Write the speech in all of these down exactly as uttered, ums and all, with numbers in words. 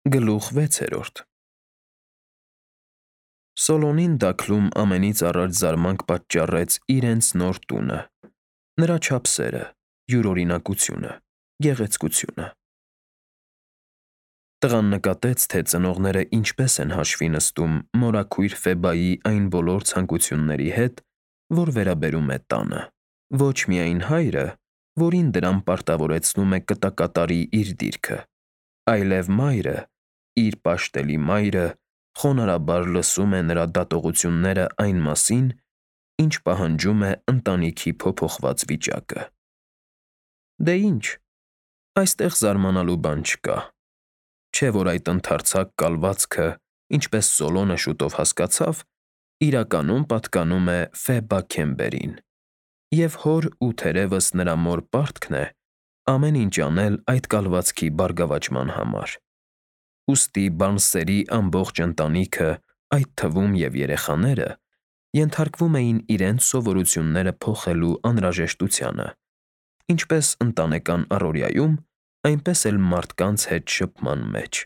Գլուխ վեցերորդ Սոլոնին Դաքլում ամենից առաջ զարմանք պատճառեց իրենց նոր տունը, նրա չափսերը, յուրօրինակությունը, գեղեցկությունը։ Տղան նկատեց, թե ծնողները ինչպես են հաշվի նստում մորաքույր Ֆեբայի այն բոլոր ցանկությունների հետ, որ վերաբերում է տանը, ոչ միայն հայրը, որին դրան պարտավորեցնում է կտակատարի իր դիրքը, այլև մայրը, իր պաշտելի մայրը, խոնարհաբար լսում է նրա դատողությունները այն մասին, ինչ պահանջում է ընտանիքի փոփոխված վիճակը։ Դե ինչ, այստեղ զարմանալու բան չկա, չէ՞ որ այդ ընդարձակ կալվածքը, ինչպես Սոլոնը շուտով հասկացավ, իրականում պատկանում է Ֆեբա Քեմբերին, և հոր ու թերևս նրա մոր պարտքն է ամեն ինչ անել այդ կալվածքի բարգավաճման համար։ Ուստի Բարնսերի ամբողջ ընտանիքը, այդ թվում և երեխաները, ենթարկվում էին իրենց սովորությունները փոխելու անհրաժեշտությանը, ինչպես ընտանեկան առօրյայում, այնպես էլ մարդկանց հետ շփման մեջ։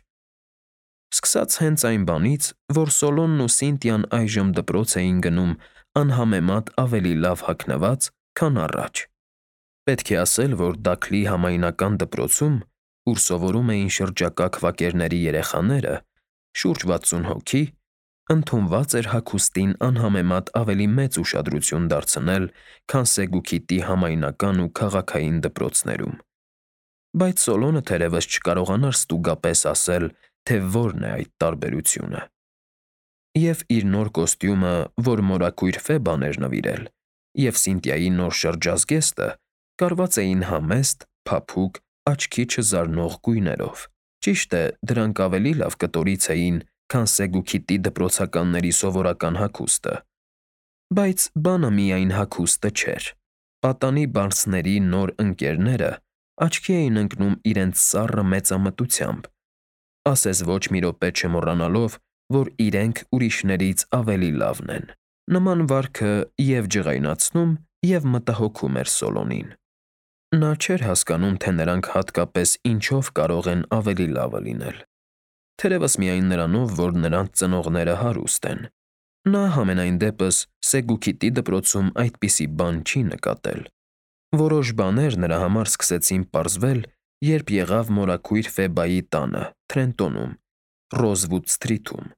Սկսած հենց այն բանից, որ Սոլոնն ու Սինթիան այժմ դպրոց էին գնում անհամեմատ ավելի լավ հագնված, քան առաջ։ Պետք է ասել, որ Դաքլի համայնական դպրոցում, ուր սովորում էին շրջակա քվակերների երեխաները, շուրջ վաթսուն հոգի, ընդունված էր հագուստին անհամեմատ ավելի մեծ ուշադրություն դարձնել, քան Սեգուքիթի համայնական ու քաղաքային դպրոցներում։ Բայց Սոլոնը թերևս չկարողանար ստուգապես ասել, թե որն է այդ տարբերությունը։ Եվ իր նոր կոստյումը, որ մորաքույր Ֆեբան էր նվիրել, և Սինթիայի նոր շրջազգեստը կարված էին համեստ, փափուկ, աչքի չզարնող գույներով։ Ճիշտ է, դրանք ավելի լավ կտորից էին, քան Սեգուքիթի դպրոցականների սովորական հագուստը։ Բայց բանը միայն հագուստը չէր։ Պատանի Բարնսների նոր ընկերները աչքի էին ընկնում իրենց սառը մեծամտությամբ, ասես ոչ մի րոպե չմոռանալով, որ իրենք ուրիշներից ավելի լավն են։ Նման վարքը և՛ ջղայնացնում, և՛ մտահոգում էր Սոլոնին։ Նա չէր հասկանում, թե նրանք հատկապես ինչով կարող են ավելի լավը լինել։ Թերևս միայն նրանով, որ նրանց ծնողները հարուստ են։ Նա, համենայն դեպս, Սեգուքիթի դպրոցում այդպիսի բան չի նկատել։ Որոշ բաներ նրա համար սկսեցին պարզվել, երբ եղավ մորաքույր Ֆեբայի տանը, Թրենտոնում, Ռոզվուդ Սթրիթում։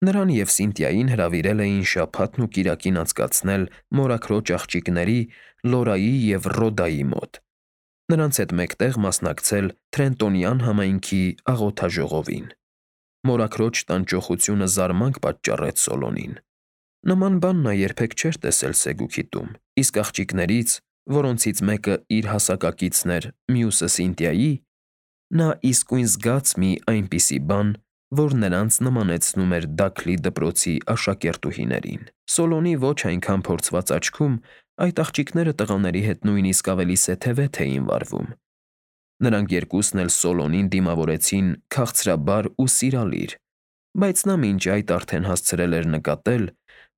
Նրան և Սինթիային հրավիրել էին շաբաթն ու կիրակին անցկացնել մորաքրոջ աղջիկների՝ Լորայի և Ռոդայի մոտ, նրանց հետ մեկտեղ մասնակցել Թրենտոնյան համայնքի աղոթաժողովին։ Մորաքրոջ տանջողությունը զարմանք պատճառեց Սոլոնին։ Նման բան նա երբեք չէր տեսել Սեգուքիթում, իսկ աղջիկներից, որոնցից մեկը իր հասակակիցն էր, մյուսը՝ Սինթիայի, նա իսկույն զգաց մի այնպիսի բան, որ նրանց նմանեցնում էր Դաքլի դպրոցի աշակերտուհիներին։ Սոլոնի ոչ այնքան փորձված աչքում այդ աղջիկները տղաների հետ նույնիսկ ավելի սեթևեթ էին վարվում։ Նրանք երկուսն էլ Սոլոնին դիմավորեցին քաղցրաբար ու սիրալիր, բայց նա մինչ այդ արդեն հասցրել էր նկատել,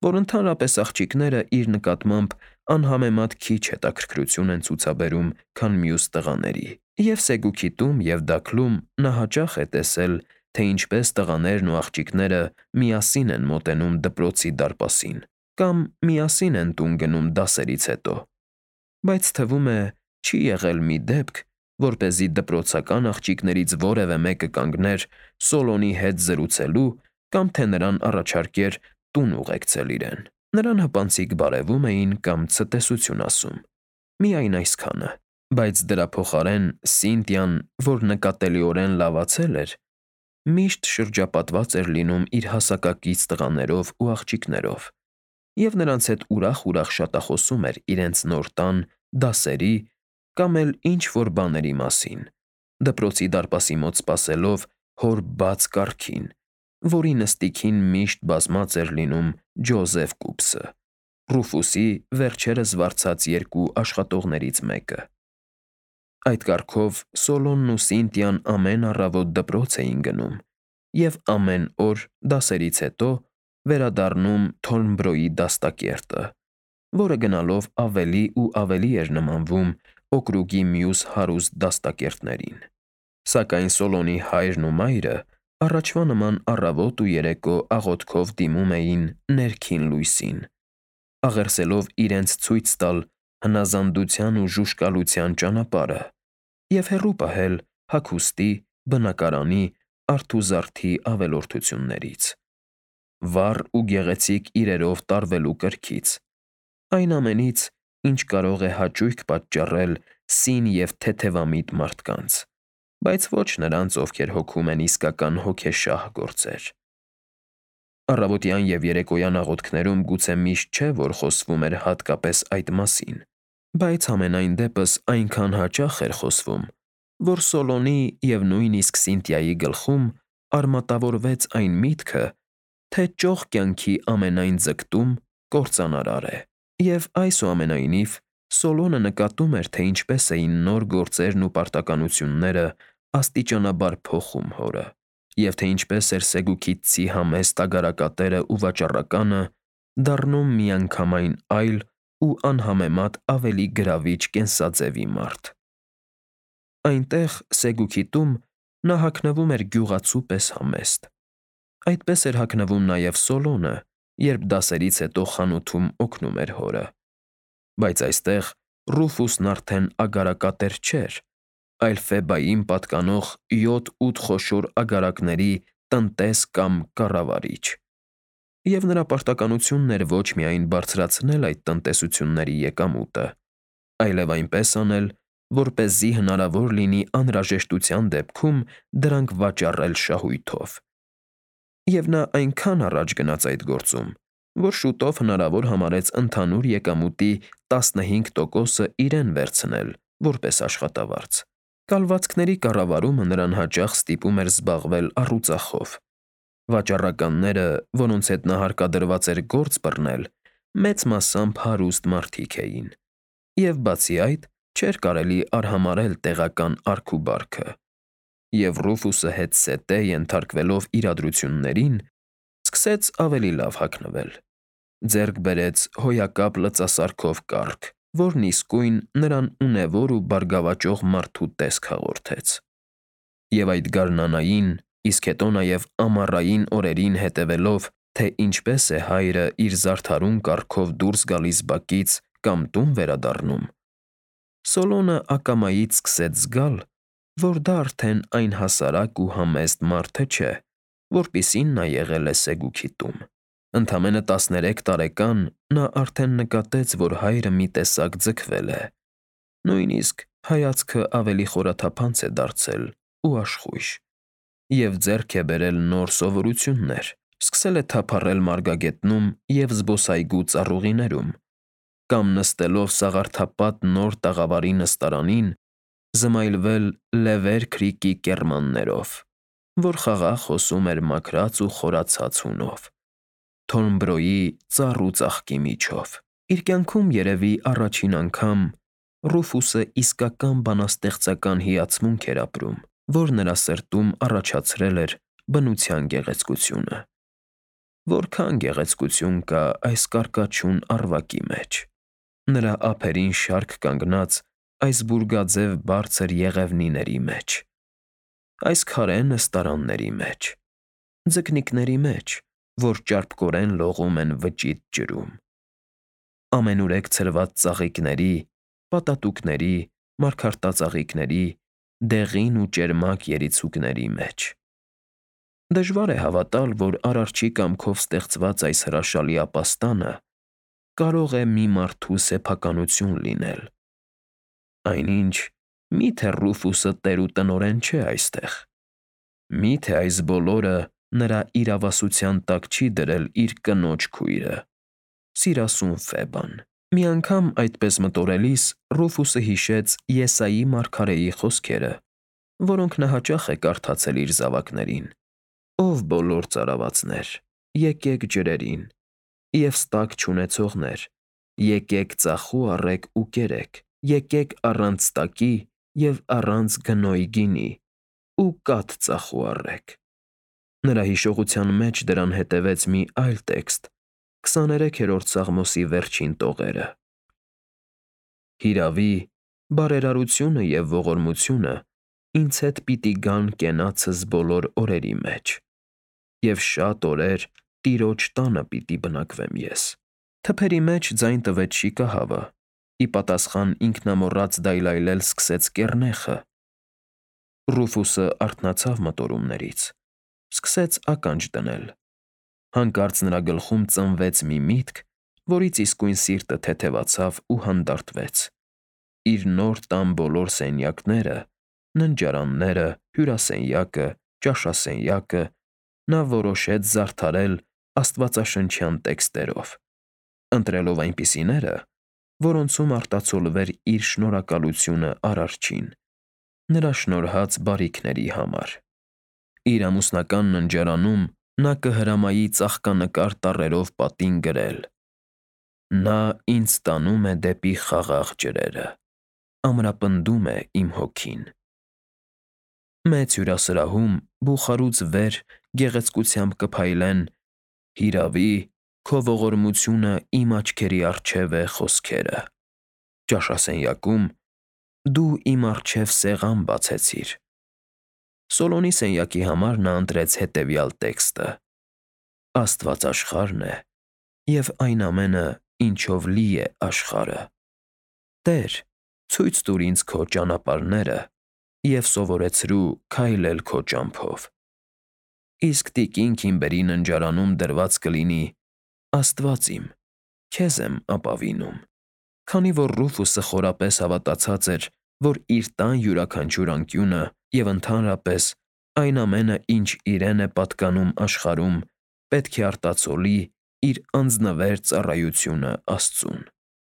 որ ընդհանրապես աղջիկները իր նկատմամբ անհամեմատ քիչ հետաքրքրություն են ցուցաբերում, քան մյուս տղաների։ Եվ Սեգուքիթում, և Դաքլում նա հաճախ է տեսել, թե ինչպես տղաներն ու աղջիկները միասին են մոտենում դպրոցի դարպասին կամ միասին են տուն գնում դասերից հետո, բայց թվում է, չի եղել մի դեպք, որպեսզի դպրոցական աղջիկներից որևէ մեկը կանգներ Սոլոնի հետ զրուցելու կամ թե նրան առաջարկեր տուն ուղեկցել իրեն։ Նրան հպանցիկ բարևում էին կամ ցտեսություն ասում։ Միայն այսքանը։ Բայց դրա փոխարեն Սինթիան, որ նկատելիորեն լավացել էր, միշտ շրջապատված էր լինում իր հասակակից տղաներով ու աղջիկներով, և նրանց հետ ուրախ-ուրախ շատախոսում էր իրենց նոր տան, դասերի կամ էլ ինչ֊որ բաների մասին, դպրոցի դարպասի մոտ սպասելով հոր բաց կառքին, որի նստիքին միշտ բազմած էր լինում Ջոզեֆ Կուպսը, Ռուֆուսի վերջերս վարձած երկու աշխատողներից մեկը։ Այդ կարգով Սոլոնն ու Սինթիան ամեն առավոտ դպրոց էին գնում և ամեն օր, դասերից հետո, վերադառնում Թորնբրոյի դաստակերտը, որը գնալով ավելի ու ավելի էր նմանվում օկրուգի մյուս հարուստ դաստակերտներին։ Սակայն Սոլոնի հայրն ու մայրը առաջվա նման առավոտ ու երեկո աղոթքով դիմում էին ներքին լույսին, աղերսելով իրենց ցույց տալ հնազանդության ու ժուժկալության ճանապարհը և հեռու պահել հագուստի, բնակարանի, արթուզարդի ավելորդություններից, վառ ու գեղեցիկ իրերով տարվելու կրքից, այն ամենից, ինչ կարող է հաճույք պատճառել սին և թեթևամիտ մարդկանց, բայց ոչ նրանց, ովքեր հոգում են իսկական հոգեշահ գործեր։ Առավոտյան և երեկոյան աղոթքներում գուցե միշտ չէ, որ խոսվում էր հատկապես այդ մասին, բայց համենայն դեպս այնքան հաճախ էր խոսվում, որ Սոլոնի և նույնիսկ Սինթիայի գլխում արմատավորվեց այն միտքը, թե ճոխ կյանքի ամենայն ձգտում կործանարար է, և այսուամենայնիվ Սոլոնը նկատում էր, թե ինչպես էին նոր գործերն ու պարտականությունները աստիճանաբար փոխում հորը, և թե ինչպես էր Սեգուքիթցի համեստ ագարակատերը ու վաճառականը դառնում միանգամայն այլ ու անհամեմատ ավելի գրավիչ կենսաձևի մարդ։ Այնտեղ, Սեգուքիթում, նա հագնվում էր գյուղացու պես համեստ։ Այդպես էր հագնվում նաև Սոլոնը, երբ դասերից հետո խանութում օգնում էր հորը, բայց այստեղ Ռուֆուսն արդեն ագարակատեր չէր, այլ Ֆեբային պատկանող յոթ֊ութ խոշոր ագարակների տնտես կամ կառավարիչ, և նրա պարտականությունն էր ոչ միայն բարձրացնել այդ տնտեսությունների եկամուտը, այլև այնպես անել, որպեսզի հնարավոր լինի անհրաժեշտության դեպքում դրանք վաճառել շահույթով։ Եվ նա այնքան առաջ գնաց այդ գործում, որ շուտով հնարավոր համարեց ընդհանուր եկամուտի տասնհինգ տոկոսը իրեն վերցնել որպես աշխատավարձ։ Կալվածքների կառավարումը նրան հաճախ ստիպում էր զբաղվել առուծախով։ Վաճառականները, որոնց հետ նա հարկադրված էր գործ բռնել, մեծ մասամբ հարուստ մարդիկ էին, և բացի այդ, չէր կարելի արհամարհել տեղական արք ու բարքը, և Ռուֆուսը հետզհետե ենթարկվելով իրադրություններին, սկսեց ավելի լավ հագնվել, ձեռք բերեց հոյակապ լծասարքով կառք, որն իսկույն նրան ունևոր ու բարգավաճող մարդու տեսք հաղորդեց։ Եվ այդ գարնանային, իսկ հետո նաև ամառային օրերին հետևելով, թե ինչպես է հայրը իր զարդարուն կառքով դուրս գալիս բակից կամ տուն վերադառնում, Սոլոնը ակամայից սկսեց զգալ, որ դա արդեն այն հասարակ ու համեստ մարդը չէ, որպիսին նա եղել է Սեգուքիթում։ Ընդամենը տասներեք տարեկան նա արդեն նկատեց, որ հայրը մի տեսակ ձգվել է, նույնիսկ հայացքը ավելի խորաթափանց է դարձել ու աշխույժ, և ձեռք է բերել նոր սովորություններ, սկսել է թափառել մարգագետնում և զբոսայգու ծառուղիներում, կամ նստելով սաղարթապատ նոր տաղավարի նստարանին, զմայլվել Լևեր քրիքի կեռմաններով, որ խաղաղ հոսում էր մաքրած ու խորացած հունով, Թորնբրոյի ծառ ու ծաղկի միջով։ Իր կյանքում երևի առաջին անգամ Ռուֆուսը իսկական բանաստեղծական հիացմունք էր ապրում, որ նրա սրտում առաջացրել էր բնության գեղեցկությունը։ Որքա՜ն գեղեցկություն կա այս կարկաչուն առվակի մեջ, նրա ափերին շարք կանգնած այս բուրգաձև բարձր եղևնիների մեջ, այս քարե նստարանների մեջ, ձկնիկների մեջ, որ ճարպկորեն լողում են վճիտ ջրում, ամենուրեք ցրված ծաղիկների, պատատուկների, մարգարտածաղիկների, դեղին ու ճերմակ երիցուկների մեջ։ Դժվար է հավատալ, որ Արարչի կամքով ստեղծված այս հրաշալի ապաստանը կարող է մի մարդու սեփականություն լինել։ Այնինչ, մի՞թե Ռուֆուսը տեր ու տնօրեն չէ այստեղ։ Մի՞թե այս բոլորը նրա իրավասության տակ չի դրել իր կնոջ քույրը՝ սիրասուն Ֆեբան։ Մի անգամ այդպես մտորելիս Ռուֆուսը հիշեց Եսայի մարգարեի խոսքերը, որոնք նա հաճախ է կարդացել իր զավակներին. «Ով բոլոր ծարավացներ, եկեք ջրերին, և ստակ չունեցողներ, եկեք ծախու առեք ու կերեք, եկեք առանց ստակի և առանց գնոյ գինի, ու կաթ ծախու առեք»։ Նրա հիշողության մեջ դրան հետևեց մի այլ տեքստ քսաներեքերորդ Սաղմոսի վերջին տողերը. «Հիրավի, բարերարությունը և ողորմությունը ինձ հետ պիտի գան կենացս բոլոր օրերի մեջ, և շատ օրեր Տիրոջ տանը պիտի բնակվեմ ես։ Թփերի մեջ ձայն տվեց շիկահավը, ի պատասխան ինքնամոռաց դայլայլել սկսեց կեռնեխը։ Ռուֆուսը արթնացավ մտորումներից, սկսեց ականջ դնել։ Հանկարծ նրա գլխում ծնվեց մի միտք, որից իսկույն սիրտը թեթևացավ ու հանդարտվեց։ Իր նոր տան բոլոր սենյակները, ննջարանները, հյուրասենյակը, ճաշասենյակը նա որոշեց զարդարել աստվածաշնչյան տեքստերով, ընտրելով այնպիսիները, որոնցում արտացոլվեր իր շնորհակալությունը Արարչին, նրա շնորհած բարիքների համար։ Իր ամուսնական ննջարանում նա կհրամայի ծաղկանկար տառերով պատին գրել. «Նա ինձ տանում է դեպի խաղաղ ջրերը, ամրապնդում է իմ հոգին»։ Մեծ հյուրասրահում բուխարուց վեր գեղեցկությամբ կփայլեն «Հիրավի, քո ողորմությունը իմ աչքերի առջև է» խոսքերը։ Ճաշասենյակում «Դու իմ առջև սեղան բացեցիր»։ Սոլոմոնի սենյակի համար նա ընտրեց հետևյալ տեքստը. «Աստված աշխարհն է, և այն ամենը, ինչով լի է աշխարհը։ Տեր, ցույց տուր ինձ քո ճանապարհները և սովորեցրու քայլել քո ճամփով»։ Իսկ տիկին Քիմբերի ննջարանում դրված կլինի. «Աստված իմ, քեզ եմ ապավինում»։ Քանի որ Ռուֆուսը խորապես հավատացած էր, որ իր տան յուրաքանչյուր անկյունը և ընդհանրապես այն ամենը, ինչ իրեն է պատկանում աշխարհում, պետք է արտացոլի իր անձնվեր ծառայությունը Աստծուն։